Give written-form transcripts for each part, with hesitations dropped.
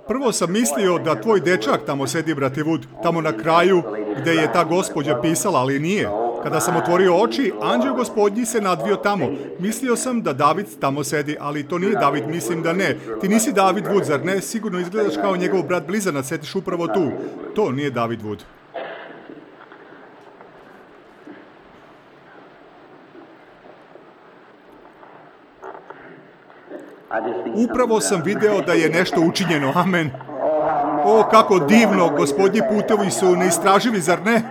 Prvo sam mislio da tvoj dečak tamo sedi, brate Wood, tamo na kraju gde je ta gospođa pisala, ali nije. Kada sam otvorio oči, anđeo gospodnji se nadvio tamo. Mislio sam da David tamo sedi, ali to nije David, mislim da ne. Ti nisi David Wood, zar ne? Sigurno izgledaš kao njegov brat blizanac, sediš upravo tu. To nije David Wood. Upravo sam video da je nešto učinjeno, amen. O, kako divno, gospodnji putevi su neistraživi, zar ne?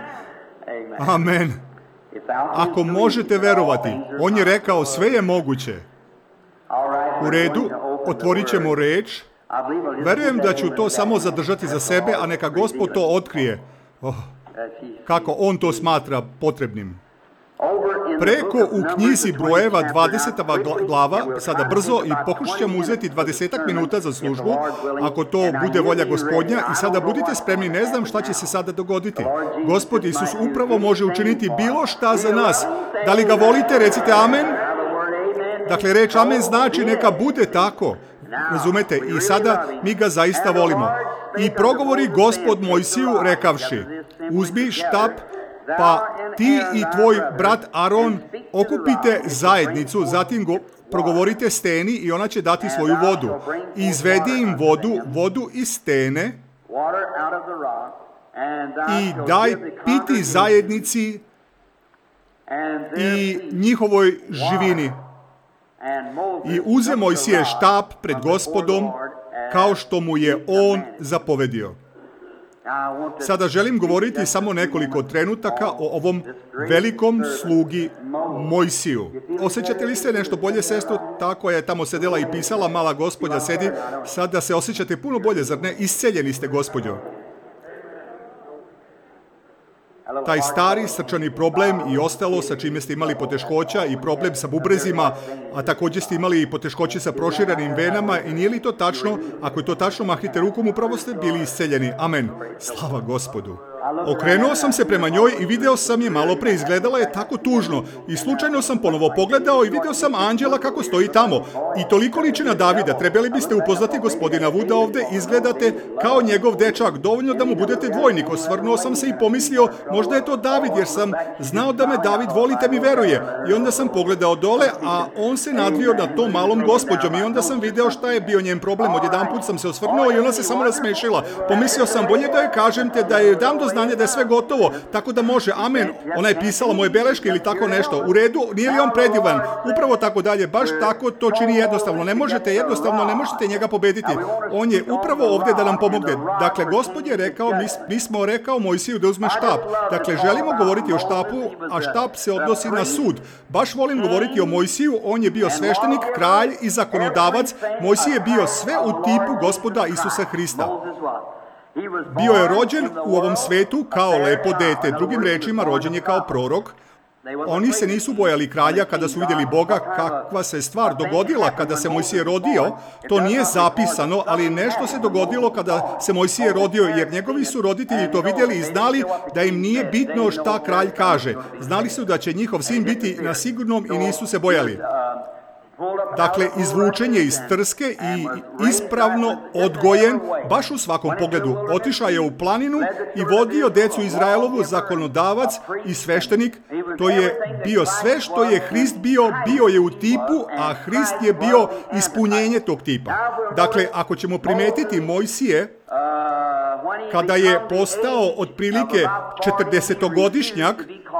Amen. Ako možete verovati, on je rekao sve je moguće. U redu, otvorit ćemo reč. Verujem da ću to samo zadržati za sebe, a neka Gospod to otkrije. Oh, kako on to smatra potrebnim. Preko u knjizi brojeva 20. glava, sada brzo, i pokušat ćemo uzeti 20 minuta za službu, ako to bude volja Gospodnja, i sada budite spremni, ne znam šta će se sada dogoditi. Gospod Isus upravo može učiniti bilo šta za nas. Da li ga volite, recite amen. Dakle, reč amen znači neka bude tako. Razumete? I sada mi ga zaista volimo. I progovori Gospod Mojsiju rekavši, uzmi štap, pa ti i tvoj brat Aron okupite zajednicu, zatim progovorite steni i ona će dati svoju vodu. I izvedi im vodu iz stene i daj piti zajednici i njihovoj živini. I uze Mojsije štap pred Gospodom kao što mu je on zapovedio. Sada želim govoriti samo nekoliko trenutaka o ovom velikom slugi Mojsiju. Osjećate li se nešto bolje, sestro? Tako je tamo sedela i pisala, mala gospođa sedi. Sada se osjećate puno bolje, zar ne? Isceljeni ste, gospođo. Taj stari srčani problem i ostalo sa čime ste imali poteškoća i problem sa bubrezima, a također ste imali i poteškoće sa proširenim venama, i nije li to tačno? Ako je to tačno, mahnite rukom, upravo ste bili isceljeni. Amen. Slava Gospodu. Okrenuo sam se prema njoj i video sam je malo pre, izgledala je tako tužno i slučajno sam ponovo pogledao i video sam anđela kako stoji tamo i toliko liči na Davida. Trebali biste upoznati gospodina Vuda ovde, izgledate kao njegov dečak, dovoljno da mu budete dvojnik. Osvrnuo sam se i pomislio, možda je to David, jer sam znao da me David volite mi veruje. I onda sam pogledao dole, a on se nadvio nad tom malom gospođom i onda sam video šta je bio njen problem. Odjedanput sam se osvrnuo i ona se samo nasmešila. Pomislio sam, bolje da joj kažem te da je dam do znanja da je sve gotovo, tako da može, amen, ona je pisala moje beleške ili tako nešto, u redu, nije li on predivan, upravo tako dalje, baš tako to čini jednostavno, ne možete njega pobediti, on je upravo ovdje da nam pomogne. Dakle, Gospod je rekao, mi smo rekao Mojsiju da uzme štap, dakle, želimo govoriti o štapu, a štap se odnosi na sud, baš volim govoriti o Mojsiju, on je bio sveštenik, kralj i zakonodavac, Mojsije je bio sve u tipu Gospoda Isusa Hrista. Bio je rođen u ovom svetu kao lepo dete, drugim rečima rođen je kao prorok. Oni se nisu bojali kralja kada su vidjeli Boga, kakva se stvar dogodila kada se Mojsije rodio. To nije zapisano, ali nešto se dogodilo kada se Mojsije rodio, jer njegovi su roditelji to vidjeli i znali da im nije bitno šta kralj kaže. Znali su da će njihov sin biti na sigurnom i nisu se bojali. Dakle, izvučen je iz trske i ispravno odgojen, baš u svakom pogledu. Otišao je u planinu i vodio decu Izraelovu, zakonodavac i sveštenik. To je bio sve što je Hrist bio je u tipu, a Hrist je bio ispunjenje tog tipa. Dakle, ako ćemo primetiti Mojsije, kada je postao otprilike 40-godišnjak,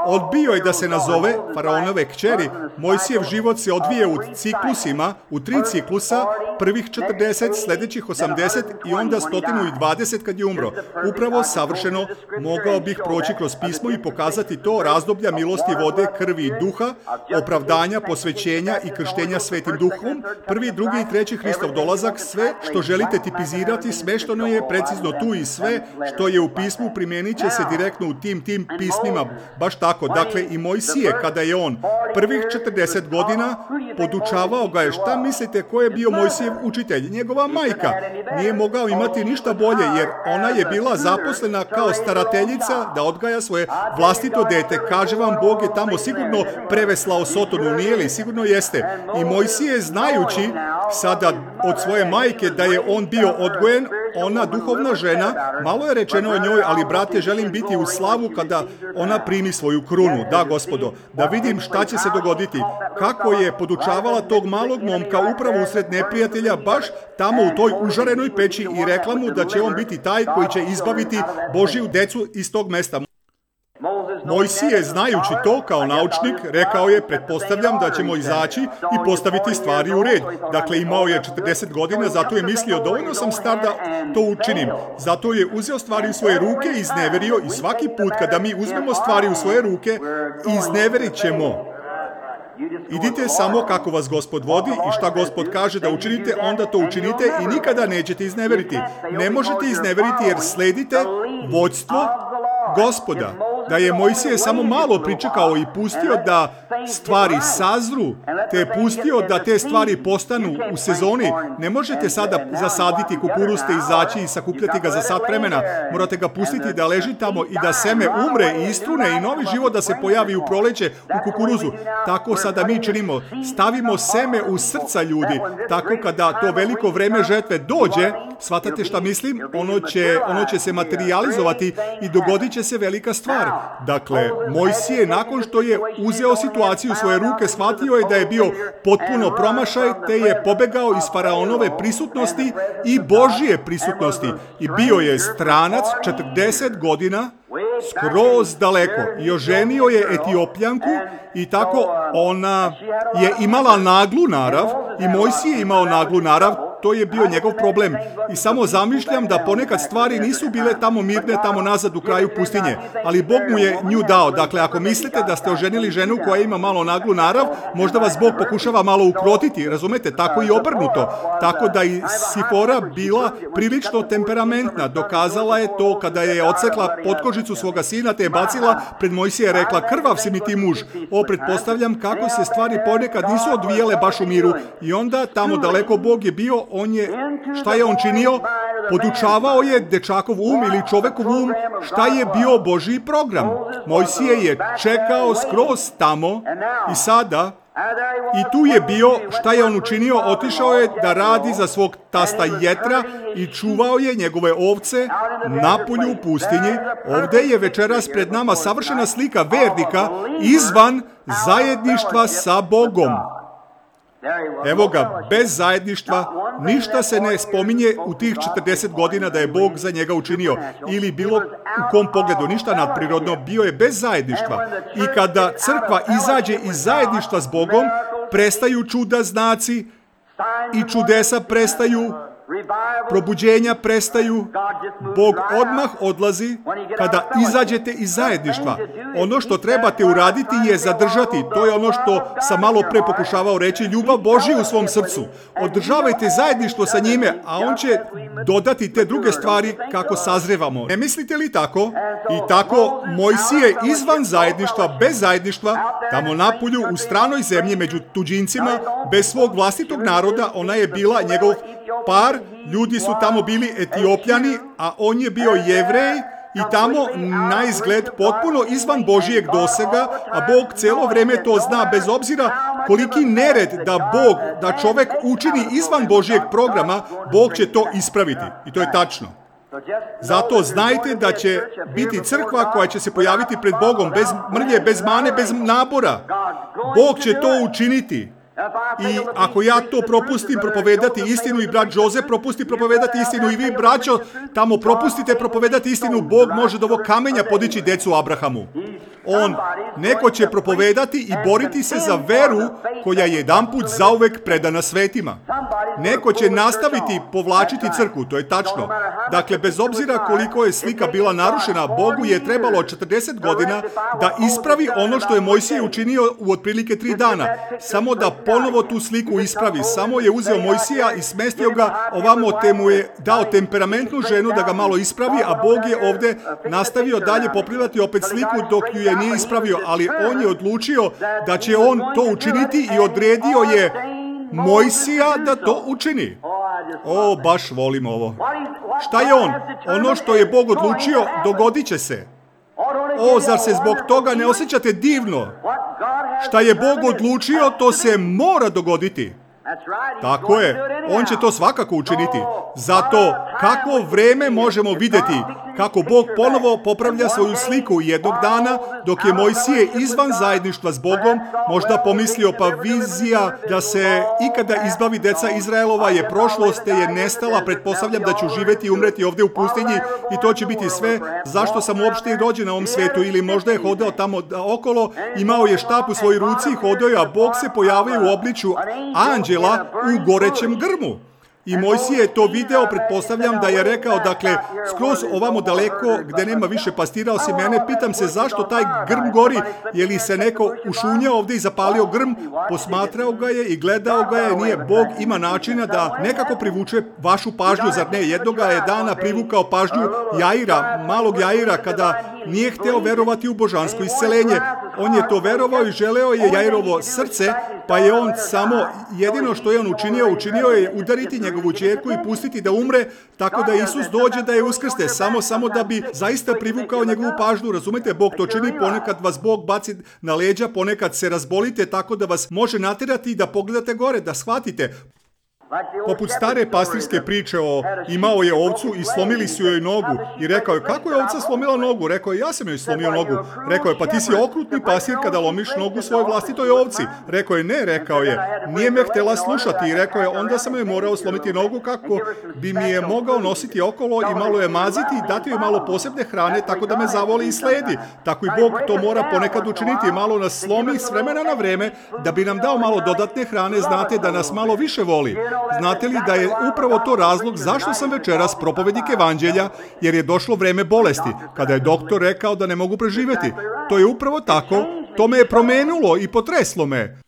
odbio je da se nazove faraonove kćeri. Mojsijev život se odvije u ciklusima, u 3 ciklusa, prvih 40, sljedećih 80 i onda 120 kad je umro. Upravo savršeno mogao bih proći kroz pismo i pokazati to razdoblja milosti, vode, krvi i duha, opravdanja, posvećenja i krštenja Svetim Duhom, 1., 2. i 3. Hristov dolazak, sve što želite tipizirati, smešteno je precizno tu i sve što je u pismu primjenit će se direktno u tim pismima. Baš tako tako, dakle i Mojsije, kada je on prvih 40 godina podučavao ga je, šta mislite ko je bio Mojsijev učitelj? Njegova majka. Nije mogao imati ništa bolje, jer ona je bila zaposlena kao starateljica da odgaja svoje vlastito dete. Kaže vam, Bog je tamo sigurno preveslao Sotonu, nije li? Sigurno jeste. I Mojsije, znajući sada od svoje majke da je on bio odgojen, ona duhovna žena, malo je rečeno o njoj, ali brate, želim biti u slavu kada ona primi svoju krunu. Da, Gospodo, da vidim šta će se dogoditi. Kako je podučavala tog malog momka upravo usred neprijatelja, baš tamo u toj užarenoj peći, i rekla mu da će on biti taj koji će izbaviti Božiju decu iz tog mesta. Mojsije, znajući to kao naučnik, rekao je, pretpostavljam da ćemo izaći i postaviti stvari u red. Dakle, imao je 40 godina, zato je mislio, dovoljno sam star da to učinim. Zato je uzeo stvari u svoje ruke i izneverio, i svaki put kada mi uzmemo stvari u svoje ruke, izneverit ćemo. Idite samo kako vas Gospod vodi i šta Gospod kaže da učinite, onda to učinite i nikada nećete izneveriti. Ne možete izneveriti jer sledite vođstvo Gospoda. Da je Mojsije samo malo pričekao i pustio da stvari sazru, te je pustio da te stvari postanu u sezoni. Ne možete sada zasaditi kukuruz, te izaći i sakupljati ga za sat vremena. Morate ga pustiti da leži tamo i da seme umre i istrune i novi život da se pojavi u proleće u kukuruzu. Tako sada mi činimo. Stavimo seme u srca ljudi. Tako kada to veliko vreme žetve dođe, shvatate šta mislim? Ono će se materializovati i dogodit će se velika stvar. Dakle, Mojsije, nakon što je uzeo situaciju u svoje ruke, shvatio je da je bio potpuno promašaj, te je pobegao iz faraonove prisutnosti i Božije prisutnosti. I bio je stranac 40 godina, skroz daleko. I oženio je Etiopljanku i tako ona je imala naglu narav i Mojsije je imao naglu narav. To je bio njegov problem. I samo zamišljam da ponekad stvari nisu bile tamo mirne, tamo nazad u kraju pustinje. Ali Bog mu je nju dao. Dakle, ako mislite da ste oženili ženu koja ima malo naglu narav, možda vas Bog pokušava malo ukrotiti. Razumete? Tako i obrnuto. Tako da i Sifora bila prilično temperamentna. Dokazala je to kada je odsekla potkožicu svoga sina, te je bacila pred Mojsija i rekla, krvav si mi ti muž. Pretpostavljam kako se stvari ponekad nisu odvijele baš u miru. I onda tamo daleko Bog je bio. Šta je on činio? Podučavao je dečakov ili čovekov šta je bio Božji program. Mojsije je čekao skroz tamo i sada, i tu je bio, šta je on učinio? Otišao je da radi za svog tasta Jetra i čuvao je njegove ovce napolju u pustinji. Ovdje je večeras pred nama savršena slika vernika izvan zajedništva sa Bogom. Evo ga, bez zajedništva, ništa se ne spominje u tih 40 godina da je Bog za njega učinio. Ili bilo u kom pogledu, ništa nadprirodno, bio je bez zajedništva. I kada crkva izađe iz zajedništva s Bogom, prestaju čuda, znaci i čudesa prestaju, probuđenja prestaju, Bog odmah odlazi kada izađete iz zajedništva. Ono što trebate uraditi je zadržati. To je ono što sam malo pre pokušavao reći, ljubav Božju u svom srcu. Održavajte zajedništvo sa njime, a on će dodati te druge stvari kako sazrevamo. Ne mislite li tako? I tako Mojsije izvan zajedništva, bez zajedništva, tamo napolju u stranoj zemlji među tuđincima, bez svog vlastitog naroda, ona je bila njegov par, ljudi su tamo bili Etiopljani, a on je bio Jevrej i tamo na izgled potpuno izvan Božijeg dosega, a Bog cijelo vrijeme to zna, bez obzira koliki nered da čovjek učini izvan Božijeg programa, Bog će to ispraviti. I to je tačno. Zato znajte da će biti crkva koja će se pojaviti pred Bogom, bez mrlje, bez mane, bez nabora. Bog će to učiniti. I ako ja to propustim propovedati istinu i brat Jose propusti propovedati istinu i vi, braćo, tamo propustite propovedati istinu, Bog može do ovog kamenja podići decu Abrahamu. Neko će propovedati i boriti se za veru koja je jedanput zauvek predana svetima. Neko će nastaviti povlačiti crkvu, to je tačno. Dakle, bez obzira koliko je slika bila narušena, Bogu je trebalo 40 godina da ispravi ono što je Mojsije učinio u otprilike 3 dana. Samo da ponovo tu sliku ispravi. Samo je uzeo Mojsija i smestio ga ovamo, te mu je dao temperamentnu ženu da ga malo ispravi, a Bog je ovdje nastavio dalje popravljati opet sliku dok ju je nije ispravio, ali on je odlučio da će on to učiniti i odredio je Mojsija da to učini. O, baš volim ovo. Šta je on? Ono što je Bog odlučio, dogodit će se. O, zar se zbog toga ne osjećate divno? Šta je Bog odlučio, to se mora dogoditi. Tako je, on će to svakako učiniti. Zato kako vreme možemo vidjeti kako Bog ponovo popravlja svoju sliku jednog dana dok je Mojsije izvan zajedništva s Bogom možda pomislio pa vizija da se ikada izbavi deca Izraelova je prošlost te je nestala, pretpostavljam da ću živjeti i umreti ovdje u pustinji i to će biti sve zašto sam uopšte i rođen na ovom svijetu ili možda je hodao tamo okolo, imao je štap u svojoj ruci i hodao je, a Bog se pojavio u obličju anđela u gorećem grmu. I Mojsije je to video, pretpostavljam da je rekao, dakle, skroz ovamo daleko gdje nema više pastira osim mene, pitam se zašto taj grm gori, je li se neko ušunjao ovdje i zapalio grm, posmatrao ga je i gledao ga je, nije Bog ima načina da nekako privuče vašu pažnju, zar ne? Jednoga je dana privukao pažnju Jaira, malog Jaira, kada nije hteo verovati u božansko isceljenje. On je to verovao i želeo je Jairovo srce, pa je on samo, jedino što je on učinio je udariti njegovu ćerku i pustiti da umre, tako da Isus dođe da je uskrste, samo da bi zaista privukao njegovu pažnju. Razumete, Bog to čini, ponekad vas Bog baci na leđa, ponekad se razbolite tako da vas može natjerati da pogledate gore, da shvatite. Poput stare pastirske priče o imao je ovcu i slomili su joj nogu i rekao je kako je ovca slomila nogu, rekao je ja sam joj slomio nogu, rekao je pa ti si okrutni pastir kada lomiš nogu svojoj vlastitoj ovci, rekao je ne, rekao je nije me htjela slušati i rekao je onda sam joj morao slomiti nogu kako bi mi je mogao nositi okolo i malo je maziti i dati joj malo posebne hrane tako da me zavoli i sledi, tako i Bog to mora ponekad učiniti, malo nas slomi s vremena na vreme da bi nam dao malo dodatne hrane, znate da nas malo više voli. Znate li da je upravo to razlog zašto sam večeras propovednik evanđelja, jer je došlo vreme bolesti, kada je doktor rekao da ne mogu preživjeti. To je upravo tako, to me je promenilo i potreslo me.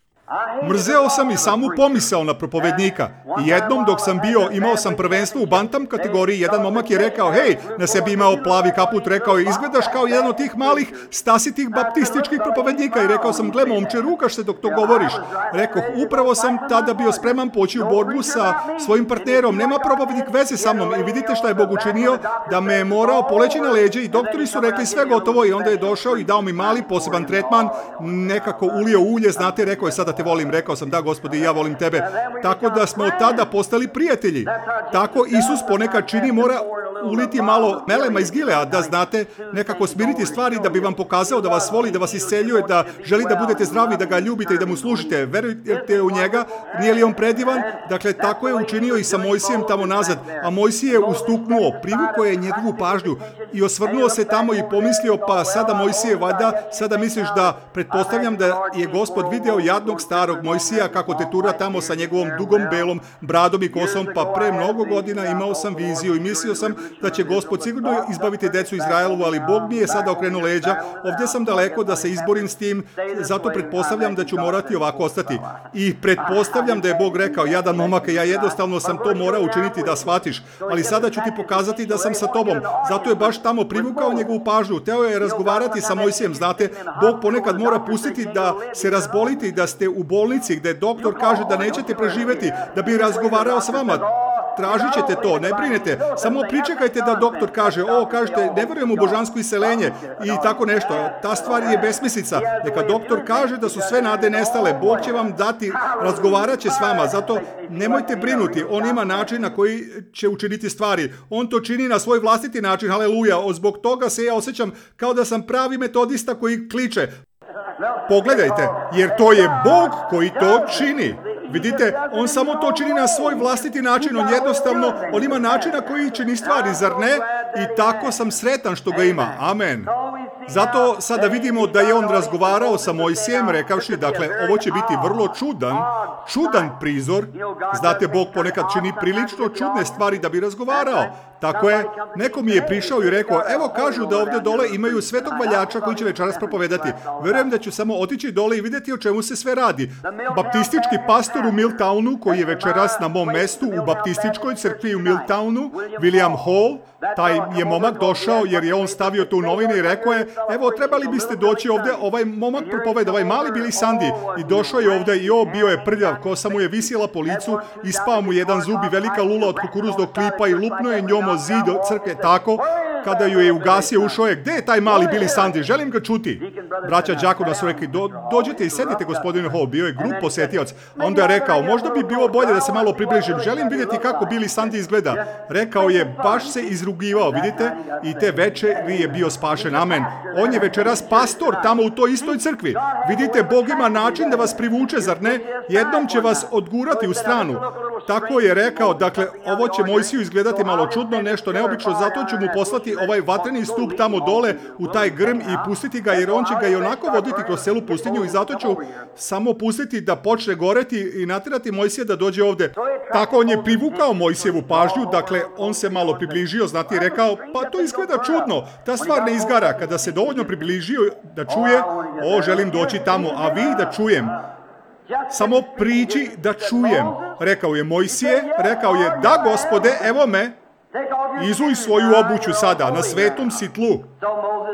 Mrzeo sam i samu pomisao na propovednika. I jednom dok sam imao sam prvenstvo u bantam kategoriji, jedan momak je rekao, hej, na sebi imao plavi kaput, rekao je, izgledaš kao jedan od tih malih stasitih baptističkih propovednika. I rekao sam, gle momče, rukaš se dok to govoriš. Rekoh, upravo sam tada bio spreman poći u borbu sa svojim partnerom. Nema propovednik veze sa mnom. I vidite šta je Bog učinio, da me je morao poleći na leđe i doktori su rekli sve gotovo i onda je došao i dao mi mali poseban tretman, nekako ulio ulje, znate, rekao je sada te volim, rekao sam da Gospodi ja volim tebe. Tako da smo od tada postali prijatelji. Tako Isus ponekad čini, mora uliti malo melema iz Gilea, da znate, nekako smiriti stvari da bi vam pokazao da vas voli, da vas isceljuje, da želi da budete zdravi, da ga ljubite i da mu služite. Verujete u njega, nije li on predivan? Dakle, tako je učinio i sa Mojsijem tamo nazad. A Mojsije je ustuknuo, privukao je njegovu pažnju i osvrnuo se tamo i pomislio, pa sada Mojsije, valjda, sada misliš da, pretpostavljam da je Gospod video jadnog starog Mojsija kako te tura tamo sa njegovom dugom belom bradom i kosom, pa pre mnogo godina imao sam viziju i mislio sam da će Gospod sigurno izbaviti decu Izraelovu, ali Bog mi je sada okrenuo leđa. Ovdje sam daleko da se izborim s tim, zato pretpostavljam da ću morati ovako ostati. I pretpostavljam da je Bog rekao, jadan momak, ja jednostavno sam to morao učiniti da shvatiš, ali sada ću ti pokazati da sam sa tobom. Zato je baš tamo privukao njegovu pažnju. Teo je razgovarati sa Mojsijem, znate, Bog ponekad mora pustiti da se razbolite i da ste u bolnici gdje doktor kaže da nećete preživjeti, da bi razgovarao s vama. Tražit ćete to, ne brinete, samo pričekajte da doktor kaže, kažete, ne vjerujem u božansko isceljenje i tako nešto. Ta stvar je besmislica. Neka doktor kaže da su sve nade nestale, Bog će vam dati, razgovarat će s vama, zato nemojte brinuti, on ima način na koji će učiniti stvari. On to čini na svoj vlastiti način, haleluja, zbog toga se ja osjećam kao da sam pravi metodista koji kliče. Pogledajte, jer to je Bog koji to čini. Vidite, on samo to čini na svoj vlastiti način, on ima način na koji čini stvari, zar ne? I tako sam sretan što ga ima. Amen. Zato sada vidimo da je on razgovarao sa Mojsijem, rekavši, dakle, ovo će biti vrlo čudan prizor. Znate, Bog ponekad čini prilično čudne stvari da bi razgovarao. Tako je, neko mi je prišao i rekao, evo kažu da ovdje dole imaju svetog valjača koji će večeras propovedati. Verujem da ću samo otići dole i vidjeti o čemu se sve radi. Baptistički pastor u Milltownu, koji je večeras na mom mestu u baptističkoj crkvi u Milltownu, William Hall, taj je momak došao jer je on stavio to u novine i rekao je, evo trebali biste doći ovdje, ovaj momak propoveda, ovaj mali Billy Sunday, i došao je ovdje i bio je prljav, kosa mu je visjela po licu, ispao mu jedan zub i velika lula od kukuruznog klipa i lupno je njom o zid crkve tako, kada ju je ugasio, ušao je, gdje je taj mali Billy Sunday, želim ga čuti. Braća đakona su rekli, dođite i sedite gospodine Hall, bio je grup posjetioc, a onda je rekao, možda bi bilo bolje da se malo približim, želim vidjeti kako Billy Sunday izgleda. Rekao je, baš se izrugivao, vidite, i te večeri je bio spašen, amen. On je večeras pastor tamo u toj istoj crkvi. Vidite, Bog ima način da vas privuče, zar ne? Jednom će vas odgurati u stranu. Tako je rekao, dakle, ovo će Mojsiju izgledati malo čudno, nešto neobično, zato ću mu poslati ovaj vatreni stup tamo dole u taj grm i pustiti ga, jer on će ga i onako voditi kroz celu pustinju i zato ću samo pustiti da počne goreti i natjerati Mojsija da dođe ovdje. Tako on je privukao Mojsijevu pažnju, dakle, on se malo približio, znati i rekao, pa to izgleda čudno, ta stvar ne izgara. Kada se dovoljno približio da čuje, želim doći tamo, a vi da čujem. Samo priči da čujem. Rekao je Mojsije, rekao je, da gospode, evo me, izuj svoju obuću sada, na svetom si tlu.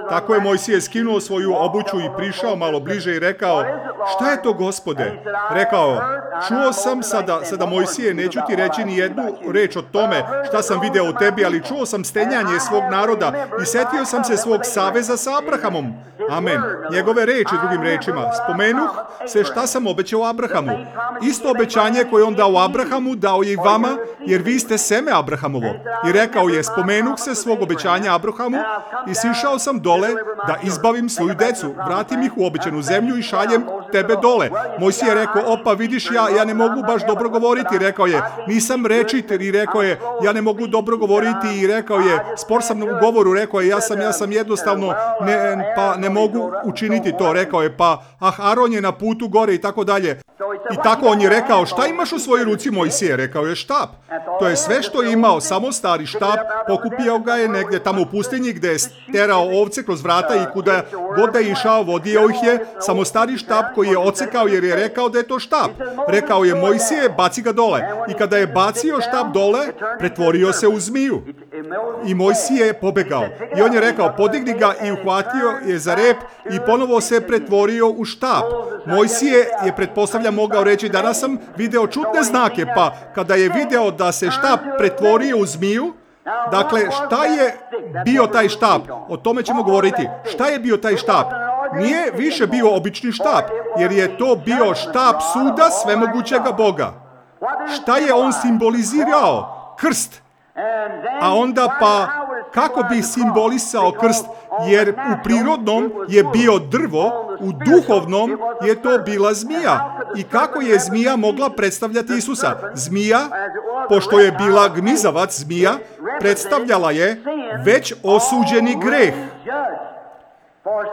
Tako je Mojsije skinuo svoju obuću i prišao malo bliže i rekao, šta je to gospode? Rekao, čuo sam sada Mojsije, neću ti reći ni jednu reč o tome šta sam video u tebi, ali čuo sam stenjanje svog naroda i setio sam se svog saveza sa Abrahamom. Amen. Njegove reči, drugim rečima. Spomenuh se šta sam obećao Abrahamu. Isto obećanje koje on dao Abrahamu, dao je i vama, jer vi ste seme Abrahamovo. I rekao je, spomenuh se svog obećanja Abrahamu i sišao sam dole da izbavim svoju decu, vratim ih u obećanu zemlju i šaljem tebe dole. Mojsije je rekao, opa vidiš, ja ne mogu baš dobro govoriti, rekao je, nisam rečit, i rekao je, ja ne mogu dobro govoriti, i rekao je, spor sam u govoru, rekao je, ja sam jednostavno, ne mogu učiniti to, rekao je, pa Aron je na putu gore i tako dalje. I tako on je rekao, šta imaš u svojoj ruci, Mojsije? Rekao je, štap. To je sve što je imao, samo stari štap, pokupio ga je negdje tamo u pustinji gdje je sterao ovce kroz vrata i kuda god da je išao, vodio ih je, samo stari štap koji je odsekao jer je rekao da je to štap. Rekao je, Mojsije, baci ga dole. I kada je bacio štap dole, pretvorio se u zmiju. I Mojsije je pobegao. I on je rekao, podigni ga i uhvatio je za rep i ponovo se pretvorio u štap. Mojsije je, pretpostavljam, mogao reći, danas sam video čudne znake, pa kada je video da se štap pretvorio u zmiju, dakle, šta je bio taj štap? O tome ćemo govoriti. Šta je bio taj štap? Nije više bio obični štap, jer je to bio štap suda svemogućega Boga. Šta je on simbolizirao? Krst. A onda pa, kako bi simbolisao krst? Jer u prirodnom je bio drvo, u duhovnom je to bila zmija. I kako je zmija mogla predstavljati Isusa? Zmija, pošto je bila gmizavac zmija, predstavljala je već osuđeni greh.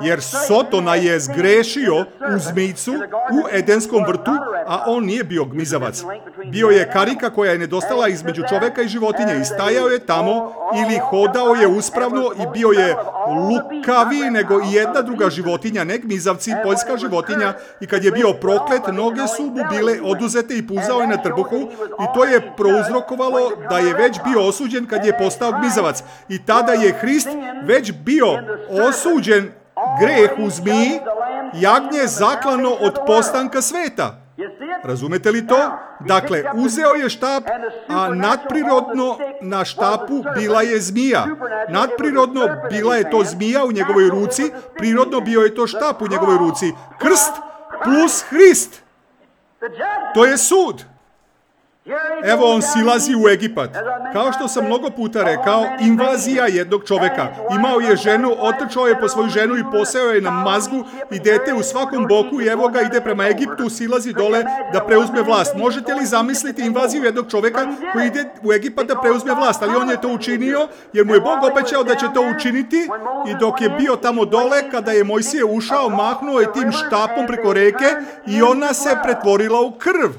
Jer Sotona je zgrešio u zmijcu u Edenskom vrtu, a on nije bio gmizavac. Bio je karika koja je nedostala između čoveka i životinje i stajao je tamo ili hodao je uspravno i bio je lukaviji nego i jedna druga životinja, ne gmizavci, poljska životinja, i kad je bio proklet, noge su mu bile oduzete i puzao je na trbuhu i to je prouzrokovalo da je već bio osuđen kad je postao gmizavac. I tada je Hrist već bio osuđen greh u zmiji, jagnje zaklano od postanka sveta. Razumete li to? Dakle, uzeo je štap, a nadprirodno na štapu bila je zmija. Nadprirodno bila je to zmija u njegovoj ruci, prirodno bio je to štap u njegovoj ruci. Krst plus Hrist. To je sud. Evo on silazi u Egipat. Kao što sam mnogo puta rekao, invazija jednog čoveka. Imao je ženu, otrčao je po svoju ženu i poseo je na mazgu i dete u svakom boku i evo ga ide prema Egiptu, silazi dole da preuzme vlast. Možete li zamisliti invaziju jednog čoveka koji ide u Egipat da preuzme vlast? Ali on je to učinio jer mu je Bog obećao da će to učiniti i dok je bio tamo dole, kada je Mojsije ušao, mahnuo je tim štapom preko reke i ona se pretvorila u krv.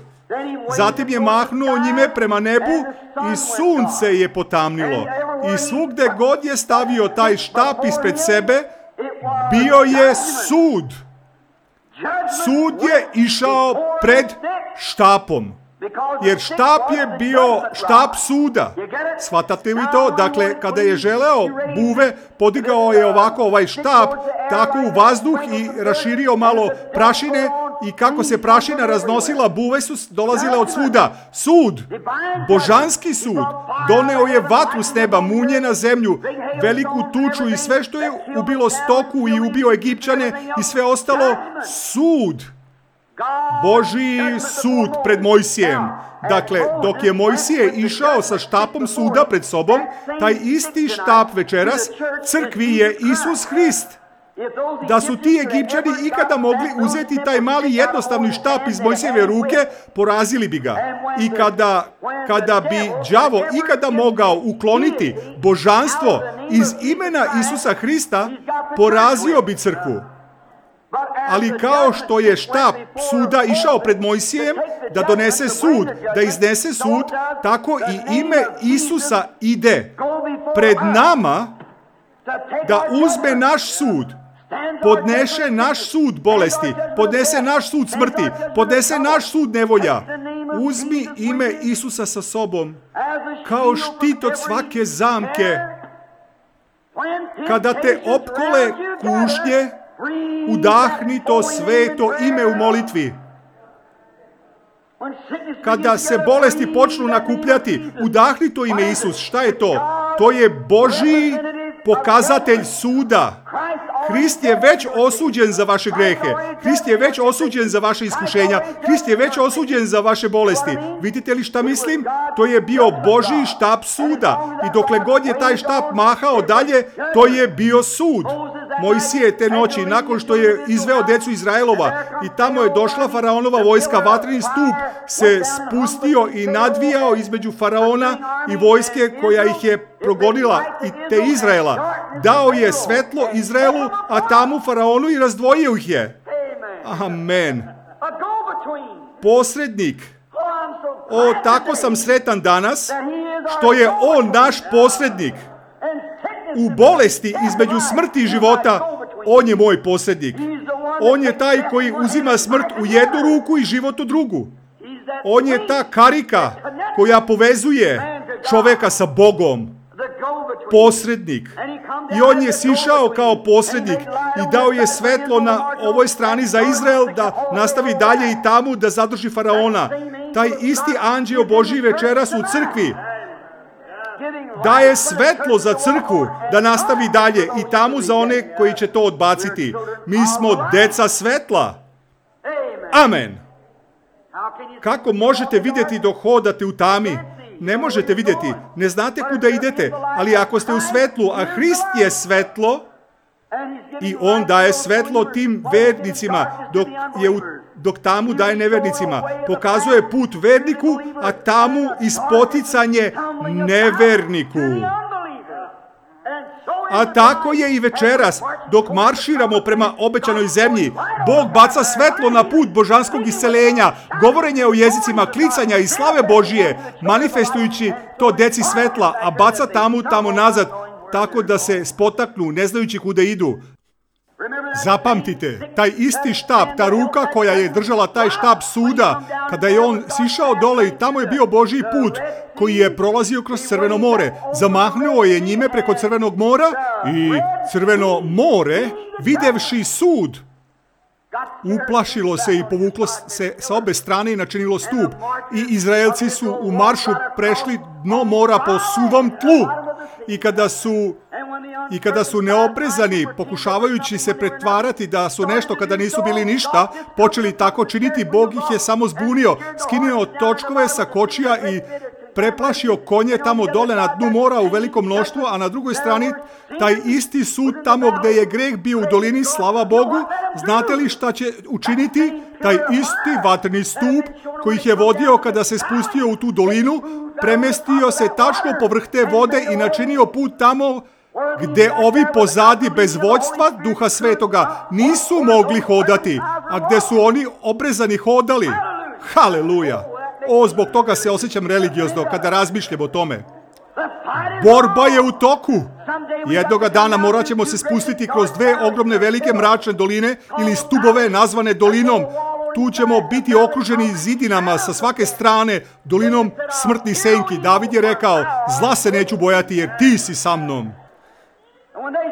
Zatim je mahnuo njime prema nebu i sunce je potamnilo. I svugde god je stavio taj štap ispred sebe, bio je sud. Sud je išao pred štapom. Jer štap je bio štap suda. Shvatate li to? Dakle, kada je želeo buve, podigao je ovako ovaj štap, tako u vazduh i raširio malo prašine i kako se prašina raznosila, buve su dolazile od svuda. Sud, božanski sud, doneo je vatru s neba, munje na zemlju, veliku tuču i sve što je ubilo stoku i ubio Egipćane i sve ostalo, sud. Božji sud pred Mojsijem. Dakle, dok je Mojsije išao sa štapom suda pred sobom, taj isti štap večeras crkvi je Isus Hrist. Da su ti Egipćani ikada mogli uzeti taj mali jednostavni štap iz Mojsijeve ruke, porazili bi ga. I kada bi đavo ikada mogao ukloniti božanstvo iz imena Isusa Hrista, porazio bi crkvu. Ali kao što je štap suda išao pred Mojsijem da donese sud, da iznese sud, tako i ime Isusa ide pred nama da uzme naš sud, podnese naš sud bolesti, podnese naš sud smrti, podnese naš sud nevolja. Uzmi ime Isusa sa sobom kao štit od svake zamke. Kada te opkole kušnje, udahni to sveto ime u molitvi. Kada se bolesti počnu nakupljati, udahni to ime Isus. Šta je to? To je Božji pokazatelj suda. Hrist je već osuđen za vaše grehe. Hrist je već osuđen za vaše iskušenja. Hrist je već osuđen za vaše bolesti. Vidite li šta mislim? To je bio Božji štap suda. I dokle god je taj štap mahao dalje, to je bio sud. Mojsije te noći, nakon što je izveo decu Izraelova i tamo je došla faraonova vojska, vatreni stup se spustio i nadvijao između faraona i vojske koja ih je progonila i te Izraela. Dao je svetlo Izraelu, a tamu faraonu i razdvojio ih je. Amen. Posrednik. O, tako sam sretan danas što je on naš posrednik. U bolesti između smrti i života, on je moj posrednik. On je taj koji uzima smrt u jednu ruku i život u drugu. On je ta karika koja povezuje čoveka sa Bogom. Posrednik. I on je sišao kao posrednik i dao je svetlo na ovoj strani za Izrael da nastavi dalje i tamo da zadrži faraona. Taj isti anđeo Božji večeras u crkvi daje svetlo za crkvu da nastavi dalje i tamo za one koji će to odbaciti. Mi smo deca svetla. Amen. Kako možete vidjeti dok hodate u tami? Ne možete vidjeti, ne znate kuda idete, ali ako ste u svetlu, a Hrist je svetlo, i on daje svetlo tim vernicima, dok tamu daje nevernicima. Pokazuje put verniku, a tamu ispoticanje neverniku. A tako je i večeras, dok marširamo prema obećanoj zemlji. Bog baca svetlo na put božanskog isceljenja, govorenja o jezicima, klicanja i slave Božije, manifestujući to deci svetla, a baca tamo nazad, tako da se spotaknu, ne znajući kuda idu. Zapamtite, taj isti štap, ta ruka koja je držala taj štap suda, kada je on sišao dole i tamo je bio Božji put koji je prolazio kroz Crveno more, zamahnuo je njime preko Crvenog mora i Crveno more, videvši sud, uplašilo se i povuklo se sa obe strane i načinilo stup. I Izraelci su u maršu prešli dno mora po suvom tlu. I kada su I kada su neobrezani, pokušavajući se pretvarati da su nešto kada nisu bili ništa, počeli tako činiti, Bog ih je samo zbunio, skinuo točkove sa kočija i preplašio konje tamo dole na dnu mora u velikom mnoštvu, a na drugoj strani taj isti sud tamo gdje je greh bio u dolini, slava Bogu. Znate li šta će učiniti? Taj isti vatreni stup koji ih je vodio kada se spustio u tu dolinu, premestio se tačno povrh te vode i načinio put tamo gdje ovi pozadi bez vođstva Duha Svetoga nisu mogli hodati, a gdje su oni obrezani hodali. Haleluja! Zbog toga se osjećam religiozno kada razmišljam o tome. Borba je u toku. Jednoga dana morat ćemo se spustiti kroz dve ogromne velike mračne doline ili stubove nazvane dolinom. Tu ćemo biti okruženi zidinama sa svake strane, dolinom smrtnih senki. David je rekao, zla se neću bojati jer ti si sa mnom.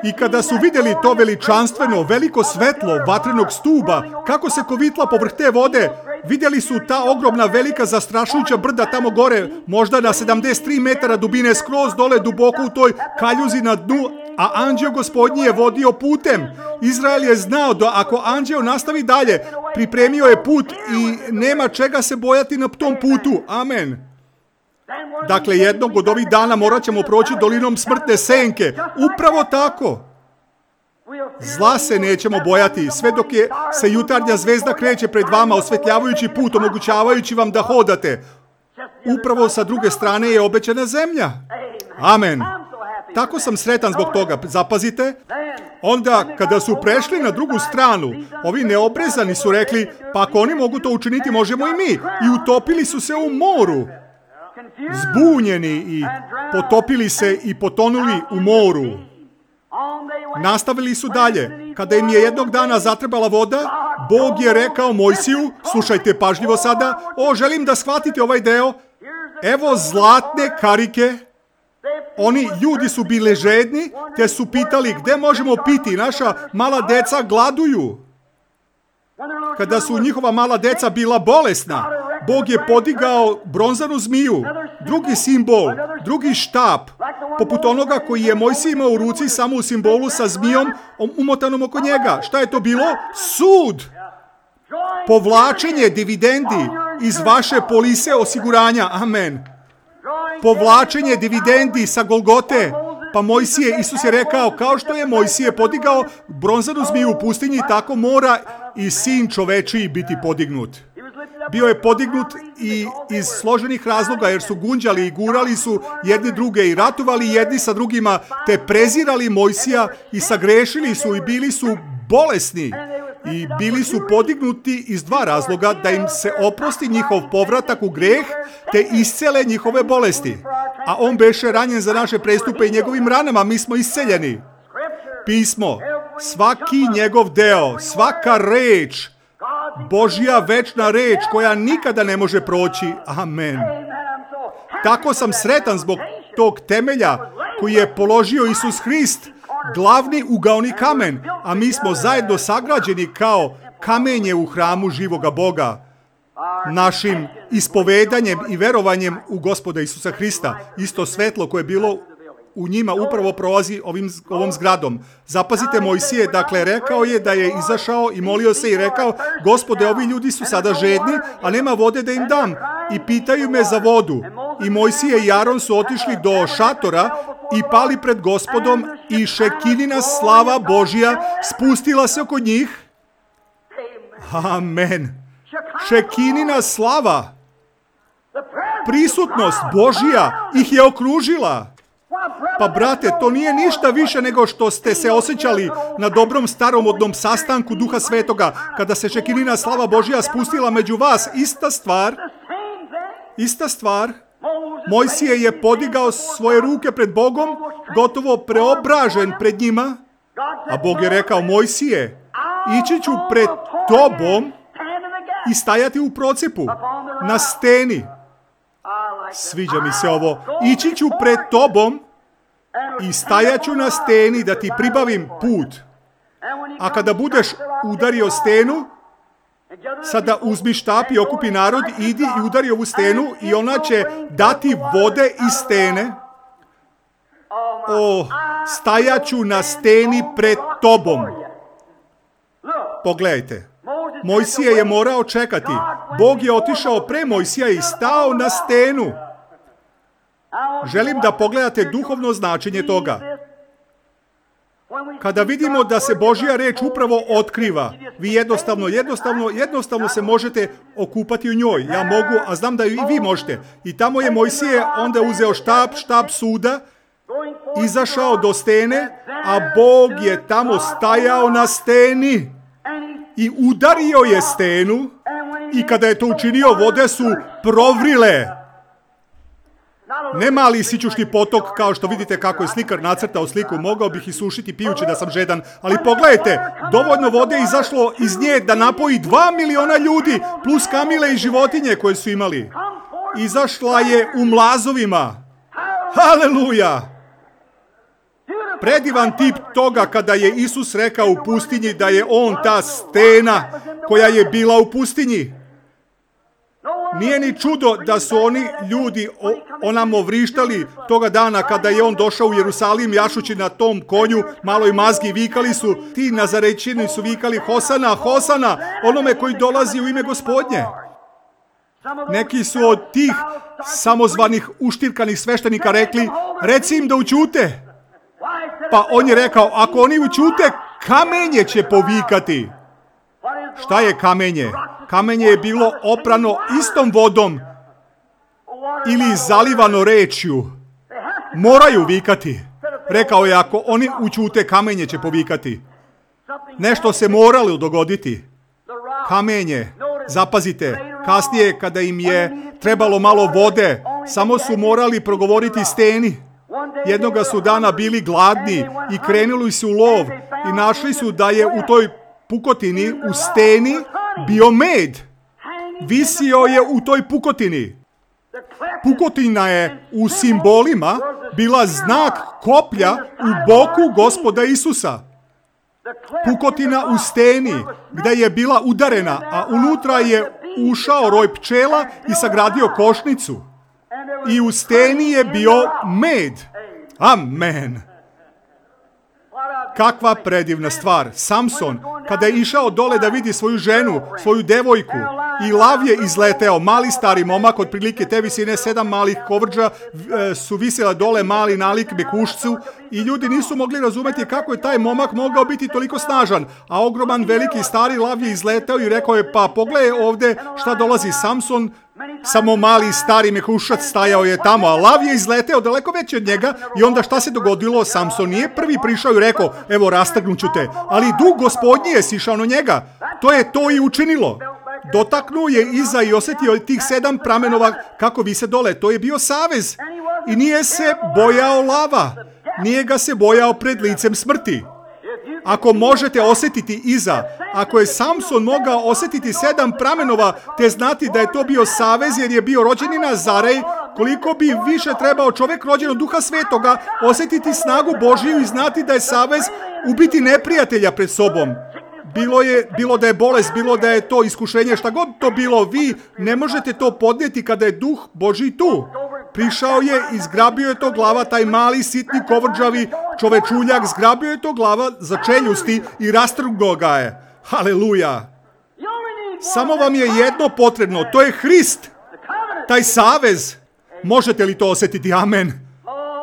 I kada su vidjeli to veličanstveno, veliko svetlo vatrenog stuba, kako se kovitla povrh te vode, vidjeli su ta ogromna, velika, zastrašujuća brda tamo gore, možda na 73 metara dubine, skroz dole duboko u toj kaljuzi na dnu, a anđeo Gospodnji je vodio putem. Izrael je znao da ako anđeo nastavi dalje, pripremio je put i nema čega se bojati na tom putu. Amen. Dakle, jednog od ovih dana morat ćemo proći dolinom smrtne senke. Upravo tako. Zla se nećemo bojati, sve dok se jutarnja zvezda kreće pred vama, osvetljavajući put, omogućavajući vam da hodate. Upravo sa druge strane je obećana zemlja. Amen. Tako sam sretan zbog toga. Zapazite. Onda, kada su prešli na drugu stranu, ovi neobrezani su rekli, pa ako oni mogu to učiniti, možemo i mi. I utopili su se u moru. Zbunjeni i potopili se i potonuli u moru. Nastavili su dalje. Kada im je jednog dana zatrebala voda, Bog je rekao Mojsiju, slušajte pažljivo sada, želim da shvatite ovaj deo, evo zlatne karike. Oni ljudi su bili žedni, te su pitali gdje možemo piti, naša mala deca gladuju. Kada su njihova mala deca bila bolesna, Bog je podigao bronzanu zmiju, drugi simbol, drugi štap, poput onoga koji je Mojsije imao u ruci, samo u simbolu sa zmijom umotanom oko njega. Šta je to bilo? Sud! Povlačenje dividendi iz vaše polise osiguranja. Amen. Povlačenje dividendi sa Golgote. Pa Mojsije, Isus je rekao, kao što je Mojsije podigao bronzanu zmiju u pustinji, tako mora i sin čovečiji biti podignut. Bio je podignut i iz složenih razloga, jer su gunđali i gurali su jedni druge i ratovali jedni sa drugima, te prezirali Mojsija i sagrešili su i bili su bolesni. I bili su podignuti iz dva razloga, da im se oprosti njihov povratak u greh, te iscele njihove bolesti. A on beše ranjen za naše prestupe i njegovim ranama mi smo isceljeni. Pismo, svaki njegov deo, svaka reč, Božja večna reč koja nikada ne može proći. Amen. Tako sam sretan zbog tog temelja koji je položio Isus Hrist, glavni ugaoni kamen, a mi smo zajedno sagrađeni kao kamenje u hramu živoga Boga. Našim ispovedanjem i verovanjem u Gospoda Isusa Hrista, isto svetlo koje je bilo u njima upravo prolazi ovom zgradom. Zapazite Mojsije, dakle rekao je da je izašao i molio se i rekao, Gospode, ovi ljudi su sada žedni, a nema vode da im dam. I pitaju me za vodu. I Mojsije i Aron su otišli do šatora i pali pred Gospodom i šekinina slava Božja spustila se oko njih. Amen. Šekinina slava. Prisutnost Božja ih je okružila. Pa brate, to nije ništa više nego što ste se osjećali na dobrom staromodnom sastanku Duha Svetoga, kada se šekinina slava Božja spustila među vas. Ista stvar. Mojsije je podigao svoje ruke pred Bogom, gotovo preobražen pred njima, a Bog je rekao, Mojsije, ići ću pred tobom i stajati u procijepu, na steni. Sviđa mi se ovo. Ići ću pred tobom i stajat ću na steni da ti pribavim put. A kada budeš udario stenu, sada uzmi štap i okupi narod, idi i udari ovu stenu i ona će dati vode iz stene. stajaću na steni pred tobom. Pogledajte. Mojsije je morao čekati. Bog je otišao pre Mojsija i stao na stenu. Želim da pogledate duhovno značenje toga. Kada vidimo da se Božja reč upravo otkriva, vi jednostavno se možete okupati u njoj. Ja mogu, a znam da i vi možete. I tamo je Mojsije onda uzeo štab suda, izašao do stene, a Bog je tamo stajao na steni i udario je stenu i kada je to učinio, vode su provrile. Ne mali sićušni potok, kao što vidite kako je slikar nacrtao sliku, mogao bih isušiti pijući da sam žedan, ali pogledajte, dovoljno vode je izašlo iz nje da napoji 2 miliona ljudi, plus kamile i životinje koje su imali. Izašla je u mlazovima. Haleluja! Predivan tip toga kada je Isus rekao u pustinji da je on ta stena koja je bila u pustinji. Nije ni čudo da su oni ljudi onamo vrištali toga dana kada je on došao u Jerusalim jašući na tom konju, maloj mazgi, vikali su, ti Nazarećini su vikali Hosana, Hosana, onome koji dolazi u ime Gospodnje. Neki su od tih samozvanih uštirkanih sveštenika rekli, reci im da ućute. Pa on je rekao, ako oni ućute, kamenje će povikati. Šta je kamenje? Kamenje je bilo oprano istom vodom ili zalivano rečju. Moraju vikati. Rekao je, ako oni ućute, kamenje će povikati. Nešto se moralo dogoditi. Kamenje, zapazite, kasnije kada im je trebalo malo vode, samo su morali progovoriti steni. Jednoga su dana bili gladni i krenuli su u lov i našli su da je u toj pukotini, u steni, bio med. Visio je u toj pukotini. Pukotina je u simbolima bila znak koplja u boku Gospoda Isusa. Pukotina u steni, gdje je bila udarena, a unutra je ušao roj pčela i sagradio košnicu. I u steni je bio med. Amen. Kakva predivna stvar. Samson, kada je išao dole da vidi svoju ženu, svoju devojku, i lav je izleteo, mali stari momak, otprilike te visine, 7 malih kovrđa su visjela dole, mali nalik mekušcu, i ljudi nisu mogli razumeti kako je taj momak mogao biti toliko snažan, a ogroman veliki stari lav je izleteo i rekao je, pa pogledaj ovdje šta dolazi. Samson, samo mali stari mekušac stajao je tamo, a lav je izleteo daleko veći od njega. I onda šta se dogodilo? Samson nije prvi prišao i rekao, evo rastrgnuću te, ali duh Gospodnji je sišao na njega. To je to i učinilo. Dotaknuo je iza i osjetio tih 7 pramenova kako vise dole. To je bio savez. I nije se bojao lava. Nije ga se bojao pred licem smrti. Ako možete osjetiti iza, ako je Samson mogao osjetiti 7 pramenova, te znati da je to bio savez jer je bio rođeni Nazarej, koliko bi više trebao čovjek rođen od Duha Svetoga osjetiti snagu Božiju i znati da je savez ubiti neprijatelja pred sobom. Bilo da je bolest, bilo da je to iskušenje, šta god to bilo, vi ne možete to podnijeti kada je Duh Božji tu. Prišao je i zgrabio je to glava, taj mali, sitni, kovrđavi čovečuljak, zgrabio je to glava za čeljusti i rastrgnuo ga je. Haleluja! Samo vam je jedno potrebno, to je Hrist, taj savez. Možete li to osjetiti? Amen.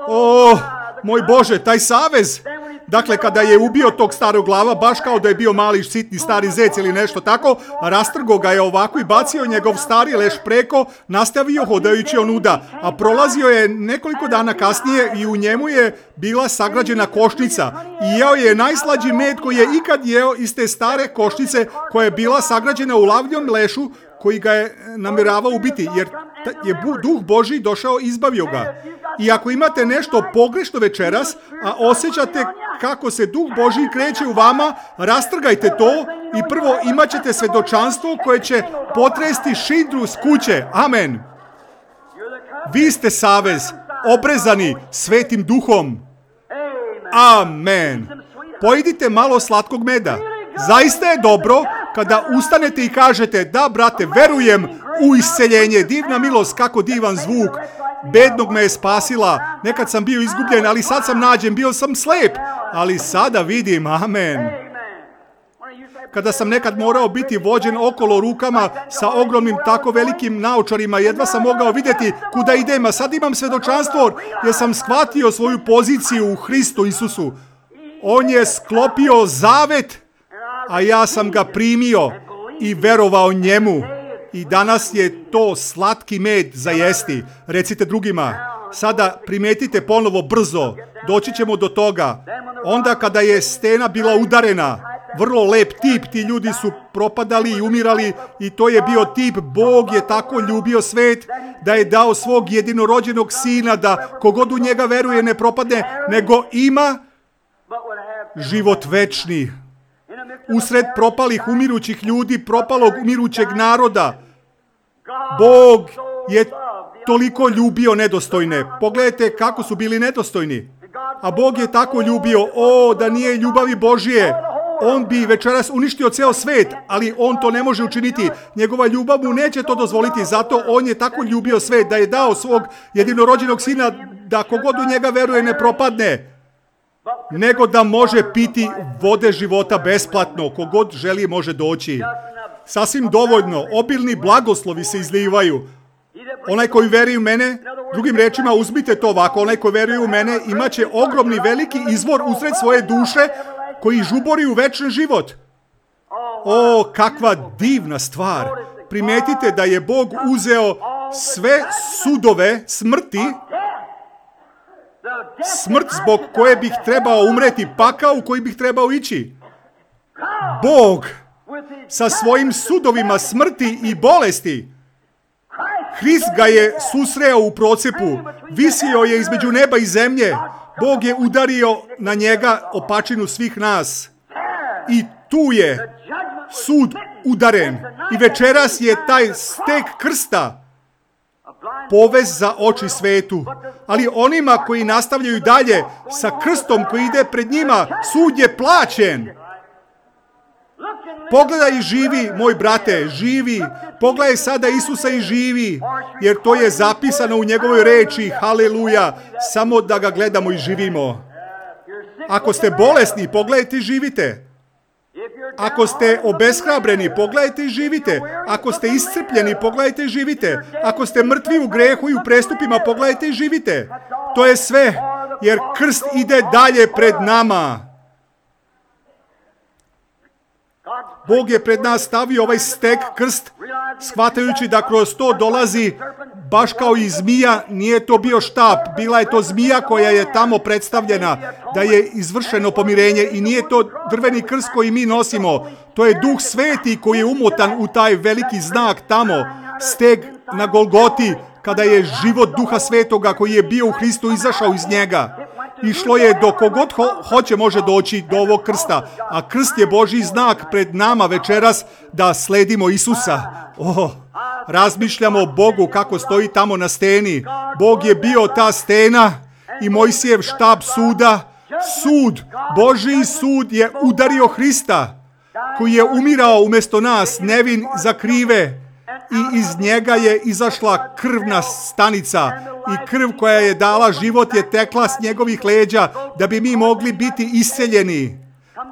O, moj Bože, taj savez. Dakle, kada je ubio tog starog glava, baš kao da je bio mali, sitni, stari zec ili nešto tako, rastrgo ga je ovako i bacio njegov stari leš preko, nastavio hodajući onuda, a prolazio je nekoliko dana kasnije i u njemu je bila sagrađena košnica i jeo je najslađi med koji je ikad jeo iz te stare košnice koja je bila sagrađena u lavljom lešu koji ga je namjeravao ubiti, jer je Duh Božji došao i izbavio ga. I ako imate nešto pogrešno večeras, a osjećate kako se Duh Božji kreće u vama, rastrgajte to i prvo imat ćete svedočanstvo koje će potresti šindru s kuće. Amen. Vi ste savez, obrezani Svetim Duhom. Amen. Pojedite malo slatkog meda. Zaista je dobro kada ustanete i kažete, da brate, verujem u isceljenje, divna milost, kako divan zvuk. bednog me je spasila. Nekad sam bio izgubljen, ali sad sam nađen. Bio sam slep, ali sada vidim. Amen. Kada sam nekad morao biti vođen okolo rukama sa ogromnim tako velikim naočarima, jedva sam mogao vidjeti kuda idem, a sad imam svjedočanstvo jer sam shvatio svoju poziciju u Hristu Isusu. On je sklopio zavet, a ja sam ga primio i verovao njemu. I danas je to slatki med za jesti. Recite drugima, sada primetite ponovo brzo, doći ćemo do toga. Onda kada je stena bila udarena, vrlo lep tip, ti ljudi su propadali i umirali i to je bio tip, Bog je tako ljubio svet da je dao svog jedinorođenog sina da kogod u njega veruje ne propadne, nego ima život večni. Usred propalih umirućih ljudi, propalog umirućeg naroda, Bog je toliko ljubio nedostojne. Pogledajte kako su bili nedostojni. A Bog je tako ljubio, da nije ljubavi Božije, on bi večeras uništio ceo svet, ali on to ne može učiniti. Njegova ljubav mu neće to dozvoliti, zato on je tako ljubio svet da je dao svog jedinorođenog sina da kogod u njega veruje ne propadne, nego da može piti vode života besplatno. Kogod želi može doći. Sasvim dovoljno, obilni blagoslovi se izlivaju. Onaj koji veruje u mene, drugim rečima uzmite to ovako, onaj koji veruje u mene imaće ogromni veliki izvor usred svoje duše koji žubori u večni život. Kakva divna stvar. Primetite da je Bog uzeo sve sudove smrti, smrt zbog koje bih trebao umreti, pakao u koji bih trebao ići. Bog sa svojim sudovima smrti i bolesti, Hrist ga je susreo u procepu, visio je između neba i zemlje, Bog je udario na njega opačinu svih nas. I tu je sud udaren. I večeras je taj stek krsta povez za oči svetu. Ali onima koji nastavljaju dalje sa krstom koji ide pred njima, sud je plaćen. Pogledaj i živi, moj brate, živi. Pogledaj sada Isusa i živi, jer to je zapisano u njegovoj reči, haleluja, samo da ga gledamo i živimo. Ako ste bolesni, pogledajte i živite. Ako ste obeshrabreni, pogledajte i živite. Ako ste iscrpljeni, pogledajte i živite. Ako ste mrtvi u grehu i u prestupima, pogledajte i živite. To je sve, jer krst ide dalje pred nama. Bog je pred nas stavio ovaj stek krst, shvatajući da kroz to dolazi, baš kao i zmija, nije to bio štap, bila je to zmija koja je tamo predstavljena, da je izvršeno pomirenje i nije to drveni krst koji mi nosimo, to je Duh Sveti koji je umotan u taj veliki znak tamo, steg na Golgoti, kada je život Duha Svetoga koji je bio u Hristu izašao iz njega. Išlo je do kogod hoće može doći do ovog krsta, a krst je Božji znak pred nama večeras da sledimo Isusa. Razmišljamo o Bogu kako stoji tamo na steni. Bog je bio ta stena i Mojsijev štab suda. Sud, Božji sud je udario Hrista koji je umirao umjesto nas, nevin za krive. I iz njega je izašla krvna stanica i krv koja je dala život je tekla s njegovih leđa da bi mi mogli biti isceljeni.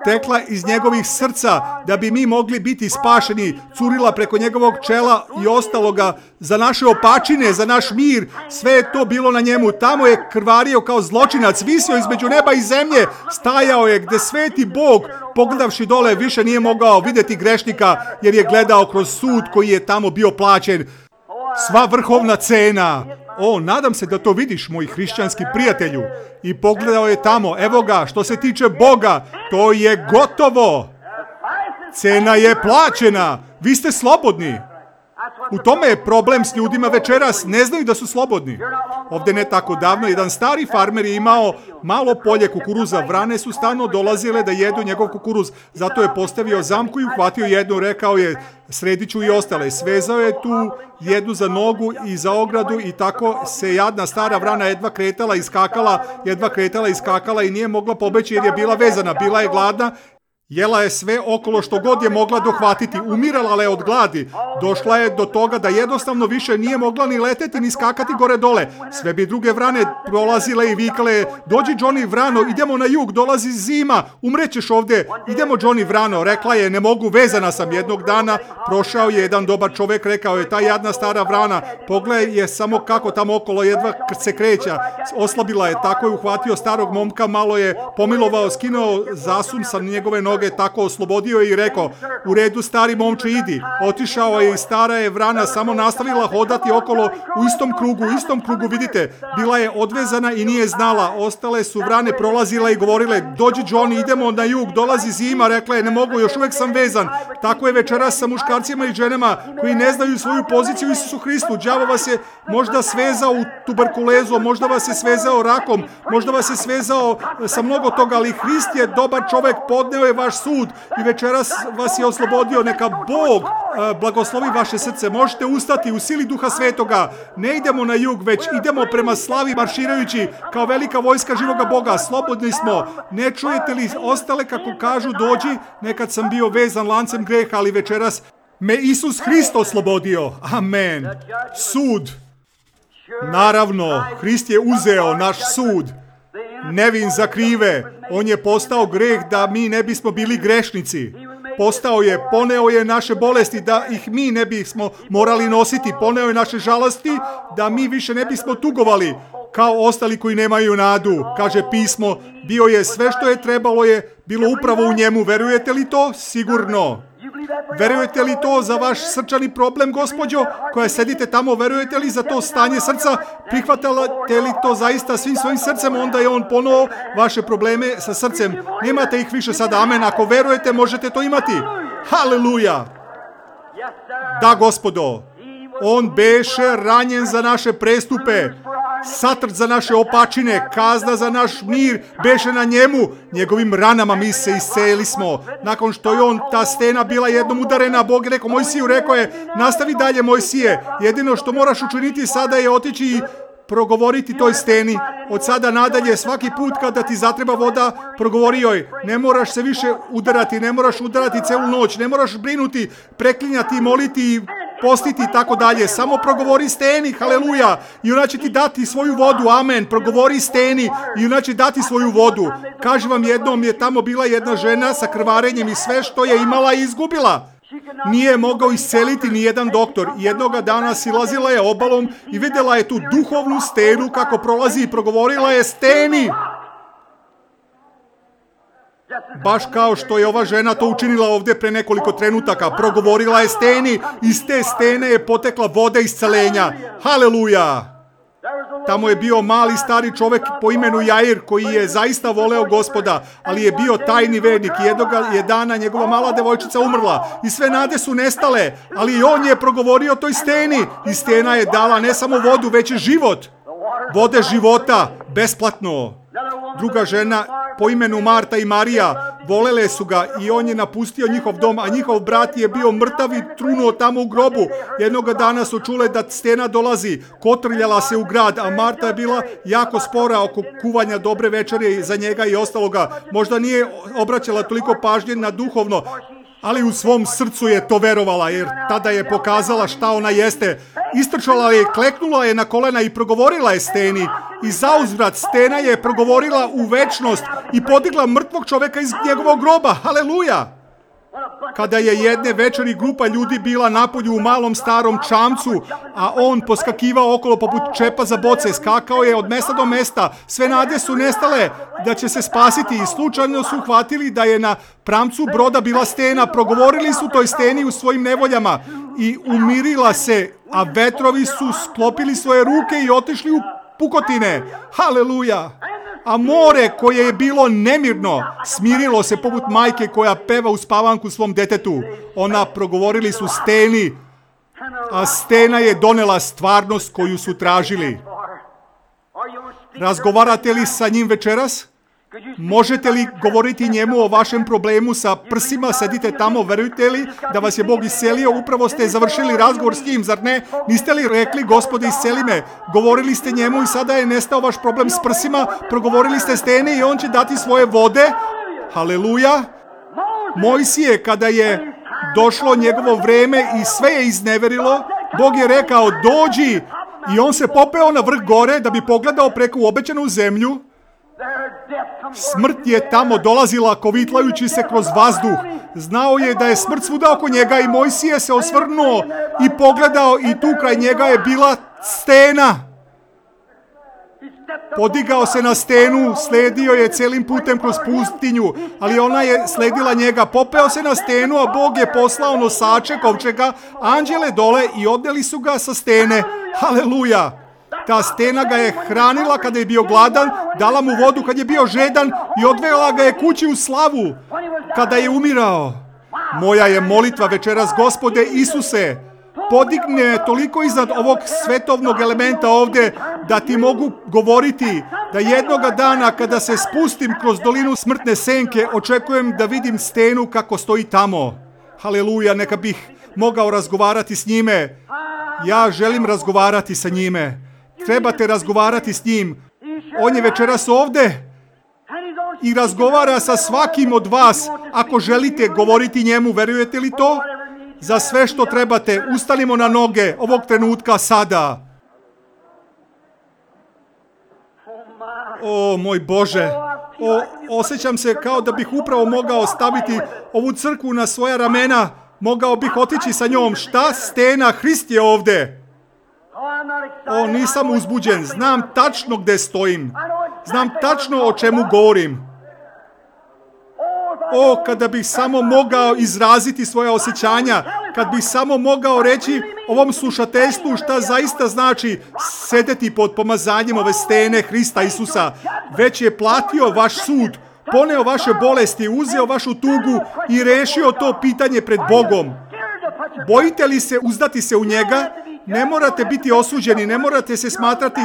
Tekla iz njegovih srca da bi mi mogli biti spašeni, curila preko njegovog čela i ostaloga za naše opačine, za naš mir. Sve je to bilo na njemu. Tamo je krvario kao zločinac, visio između neba i zemlje, stajao je gdje sveti Bog, pogledavši dole, više nije mogao vidjeti grešnika jer je gledao kroz sud koji je tamo bio plaćen. Sva vrhovna cena. Nadam se da to vidiš, moj hrišćanski prijatelju. I pogledao je tamo, evo ga, što se tiče Boga, to je gotovo. Cena je plaćena. Vi ste slobodni. U tome je problem s ljudima večeras, ne znaju da su slobodni. Ovdje ne tako davno, jedan stari farmer je imao malo polje kukuruza. Vrane su stalno dolazile da jedu njegov kukuruz. Zato je postavio zamku i uhvatio jednu, rekao je, sredit ću i ostale. Svezao je tu jednu za nogu i za ogradu i tako se jadna stara vrana jedva kretala i skakala i nije mogla pobeći jer je bila vezana, bila je gladna. Jela je sve okolo što god je mogla dohvatiti, umirala je od gladi. Došla je do toga da jednostavno više nije mogla ni leteti ni skakati gore dole. Sve bi druge vrane prolazile i vikale: dođi Johnny Vrano, idemo na jug, dolazi zima, umrećeš ovdje, idemo Johnny Vrano. Rekla je: ne mogu, vezana sam. Jednog dana prošao je jedan dobar čovjek, rekao je: ta jadna stara vrana, pogledaj je samo kako tamo okolo jedva se kreća. Oslabila je, tako je uhvatio starog momka, malo je pomilovao, skinuo zasun sa njegove noge, tako oslobodio je i rekao: u redu stari momče, idi. Otišao je i stara je vrana samo nastavila hodati okolo u istom krugu, vidite. Bila je odvezana i nije znala. Ostale su vrane prolazile i govorile: dođi Johnny, idemo na jug, dolazi zima. Rekla je: ne mogu, još uvijek sam vezan. Tako je večeras sa muškarcima i ženama koji ne znaju svoju poziciju u Isusu Hristu. Đavo vas je možda svezao u tuberkulezu, možda vas je svezao rakom, možda vas je svezao sa mnogo toga, ali Hrist je dobar čovjek, podneo je vaš sud i večeras vas je oslobodio. Neka Bog blagoslovi vaše srce. Možete ustati u sili Duha Svetoga. Ne idemo na jug, već idemo prema slavi marširajući kao velika vojska živoga Boga. Slobodni smo. Ne čujete li ostale kako kažu: dođi, nekad sam bio vezan lancem greha, ali večeras me Isus Hrist oslobodio. Amen. Sud. Naravno, Hrist je uzeo naš sud. Nevin za krive. On je postao greh da mi ne bismo bili grešnici. Postao je, poneo je naše bolesti da ih mi ne bismo morali nositi. Poneo je naše žalosti da mi više ne bismo tugovali kao ostali koji nemaju nadu. Kaže pismo: bio je sve što je trebalo je bilo upravo u njemu. Verujete li to? Sigurno. Verujete li to za vaš srčani problem, gospođo, koja sedite tamo? Verujete li za to stanje srca? Prihvatate li to zaista svim svojim srcem? Onda je on ponovo vaše probleme sa srcem. Nemate ih više sada. Amen. Ako verujete, možete to imati. Haleluja. Da, gospodo. On beše ranjen za naše prestupe, satrt za naše opačine, kazna za naš mir beše na njemu. Njegovim ranama mi se isceli smo. Nakon što je ta stena bila jednom udarena, Bog je rekao Mojsiju, rekao je: nastavi dalje Mojsije. Jedino što moraš učiniti sada je otići i progovoriti toj steni. Od sada nadalje, svaki put kada ti zatreba voda, progovori joj. Ne moraš se više udarati, ne moraš udarati celu noć, ne moraš brinuti, preklinjati, moliti, postiti i tako dalje. Samo progovori steni, haleluja, i ona će ti dati svoju vodu. Amen. Progovori steni i ona će dati svoju vodu. Kažem vam, jednom je tamo bila jedna žena sa krvarenjem i sve što je imala izgubila. Nije mogao isceliti ni jedan doktor. Jednoga dana silazila je obalom i vidjela je tu duhovnu stenu kako prolazi i progovorila je: steni. Baš kao što je ova žena to učinila ovdje pre nekoliko trenutaka. Progovorila je: steni. Iz te stene je potekla voda iscelenja. Haleluja. Tamo je bio mali stari čovjek po imenu Jair koji je zaista voleo Gospoda, ali je bio tajni vernik. Jednoga je dana njegova mala devojčica umrla i sve nade su nestale, ali on je progovorio toj steni i stena je dala ne samo vodu, već i život. Vode života, besplatno. Druga žena po imenu Marta i Marija volele su ga i on je napustio njihov dom, a njihov brat je bio mrtav i trunuo tamo u grobu. Jednoga dana su čule da stena dolazi, kotrljala se u grad, a Marta je bila jako spora oko kuvanja dobre večere za njega i ostaloga. Možda nije obraćala toliko pažnje na duhovno, ali u svom srcu je to verovala, jer tada je pokazala šta ona jeste. Istrčala je, kleknula je na kolena i progovorila je steni. I zauzvrat stena je progovorila u večnost i podigla mrtvog čovjeka iz njegovog groba. Haleluja! Kada je jedne večeri grupa ljudi bila napolju u malom starom čamcu, a on poskakivao okolo poput čepa za boce, skakao je od mesta do mesta, sve nade su nestale da će se spasiti i slučajno su uhvatili da je na pramcu broda bila stena. Progovorili su toj steni u svojim nevoljama i umirila se, a vetrovi su sklopili svoje ruke i otišli u pukotine. Haleluja! A more koje je bilo nemirno smirilo se poput majke koja peva u spavanku svom detetu. Ona progovorili su steni, a stena je donela stvarnost koju su tražili. Razgovarate li sa njim večeras? Možete li govoriti njemu o vašem problemu sa prsima? Sedite tamo, verujete li da vas je Bog iscelio? Upravo ste završili razgovor s njim, zar ne? Niste li rekli: Gospode, isceli me? Govorili ste njemu i sada je nestao vaš problem s prsima. Progovorili ste steni i on će dati svoje vode. Haleluja. Mojsije, kada je došlo njegovo vreme i sve je izneverilo, Bog je rekao dođi i on se popeo na vrh gore da bi pogledao preko obećanu zemlju. Smrt je tamo dolazila kovitlajući se kroz vazduh. Znao je da je smrt svuda oko njega i Mojsije se osvrnuo i pogledao i tu kraj njega je bila stena. Podigao se na stenu, sledio je celim putem kroz pustinju, ali ona je sledila njega. Popeo se na stenu, a Bog je poslao nosače kovčega, anđele dole i odneli su ga sa stene. Haleluja! Ta stena ga je hranila kada je bio gladan, dala mu vodu kad je bio žedan i odvela ga je kući u slavu kada je umirao. Moja je molitva večeras, Gospode Isuse, podigne toliko iznad ovog svetovnog elementa ovdje da ti mogu govoriti da jednoga dana kada se spustim kroz dolinu smrtne senke očekujem da vidim stenu kako stoji tamo. Haleluja, neka bih mogao razgovarati s njime. Ja želim razgovarati sa njime. Trebate razgovarati s njim. On je večeras ovdje i razgovara sa svakim od vas. Ako želite govoriti njemu, verujete li to? Za sve što trebate, ustanimo na noge ovog trenutka sada. O, moj Bože, osjećam se kao da bih upravo mogao staviti ovu crkvu na svoja ramena. Mogao bih otići sa njom. Šta stena, Hrist je ovdje. O, nisam uzbuđen. Znam tačno gdje stojim. Znam tačno o čemu govorim. O, kada bih samo mogao izraziti svoja osjećanja, kad bih samo mogao reći ovom slušateljstvu šta zaista znači sedeti pod pomazanjem ove stene Hrista Isusa. Već je platio vaš sud, poneo vaše bolesti, uzeo vašu tugu i rešio to pitanje pred Bogom. Bojite li se uzdati se u njega? Ne morate biti osuđeni, ne morate se smatrati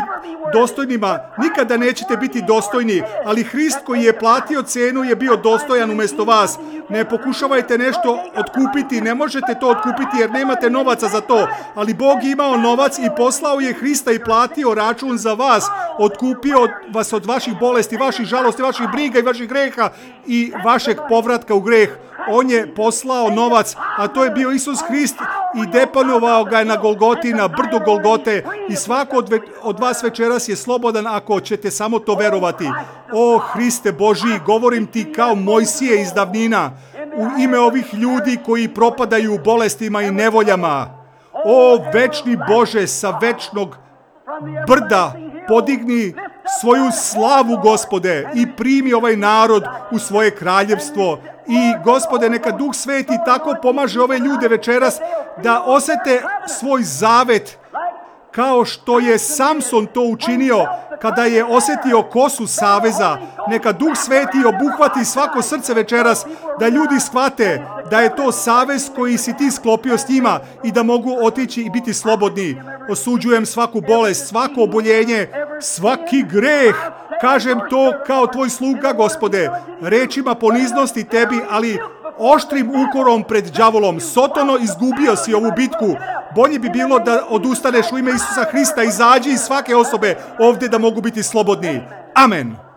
dostojnima, nikada nećete biti dostojni, ali Hrist koji je platio cenu je bio dostojan umjesto vas. Ne pokušavajte nešto otkupiti, ne možete to otkupiti jer nemate novaca za to, ali Bog je imao novac i poslao je Hrista i platio račun za vas, otkupio vas od vaših bolesti, vaših žalosti, vaših briga i vaših greha i vašeg povratka u greh. On je poslao novac, a to je bio Isus Hrist i deponovao ga je na Golgoti, na brdu Golgote i svako od vas večeras je slobodan ako ćete samo to verovati. O Hriste Božji, govorim ti kao Mojsije iz davnina, u ime ovih ljudi koji propadaju u bolestima i nevoljama. O večni Bože, sa večnog brda podigni svoju slavu, Gospode, i primi ovaj narod u svoje kraljevstvo. I, Gospode, neka Duh Sveti tako pomaže ove ljude večeras da osete svoj zavet kao što je Samson to učinio kada je osjetio kosu saveza. Neka Duh Sveti obuhvati svako srce večeras da ljudi shvate da je to savez koji si ti sklopio s njima i da mogu otići i biti slobodni. Osuđujem svaku bolest, svako oboljenje, svaki greh. Kažem to kao tvoj sluga, Gospode, rečima poniznosti tebi, ali oštrim ukorom pred đavolom. Sotono, izgubio si ovu bitku. Bolje bi bilo da odustaneš u ime Isusa Hrista, izađi iz svake osobe ovdje da mogu biti slobodni. Amen.